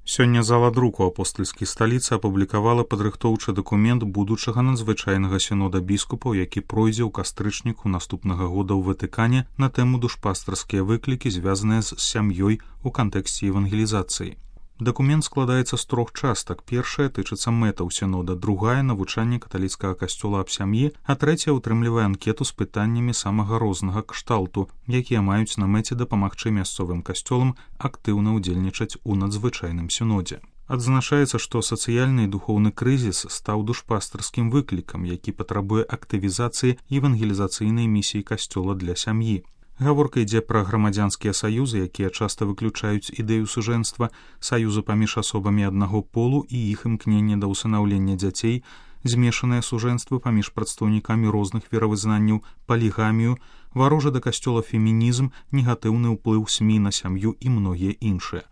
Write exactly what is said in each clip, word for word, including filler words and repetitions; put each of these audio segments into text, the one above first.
Сёння зала друку апостальскай сталіцы апублікавала падрыхтоўчы дакумент будучага надзвычайнага сінода біскупаў, які пройдзе ў кастрычніку наступнага года ў Ватыкане на тэму душпастарскія выклікі, звязаныя з сям'ёй у кантэксце евангелізацыі. Дакумент складаецца з трох частак. Першая тычыцца мэтаў сінода, другая — навучанне каталіцкага касцёла аб сям'і, а трэцяя ўтрымлівае анкету з пытаннямі самага рознага кшталту, якія маюць на мэце дапамагчы мясцовым касцёлам актыўна ўдзельнічаць у надзвычайным сінодзе. Адзначаецца, што сацыяльны і духоўны крызіс стаў душпастарскім выклікам, які патрабуе актывізацыі евангелізацыйнай місіі касцёла для сям'і. Гаворка ідзе пра грамадзянскія саюзы, якія часта выключаюць ідэю сужэнства, саюзы паміж асобамі аднаго полу і іх імкненне да ўсынаўлення дзяцей, змешанае сужэнства паміж прадстаўнікамі розных веравызнанняў, палігамію, варожы да касцёла фемінізм, негатыўны ўплыў СМІ на сям'ю і многія іншыя.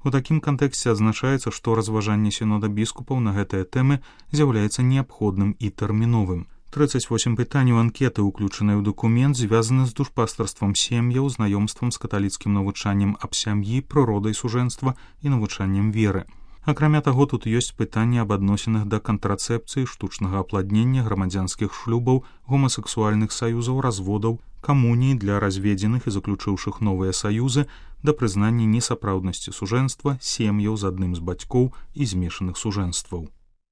У такім кантэксце адзначаецца, што разважанне сінода біскупаў на гэтыя тэмы з'яўляецца неабходным і тэрміновым. трыццаць восем пытанняў анкеты, уключаныя ў дакумент, звязаны з душпастарствам сем'яў, знаёмствам з каталіцкім навучаннем аб сям'і, прыродай сужэнства і навучаннем веры. Акрамя таго, тут ёсць пытанні аб адносінах да кантрацэпцыі, штучнага апладнення, грамадзянскіх шлюбаў, гомасексуальных саюзаў, разводаў, камуніі для разведзеных і заключыўшых новыя саюзы, да прызнання несапраўднасці сужэнства, сем'яў з адным з бацькоў і змешаных сужэнстваў.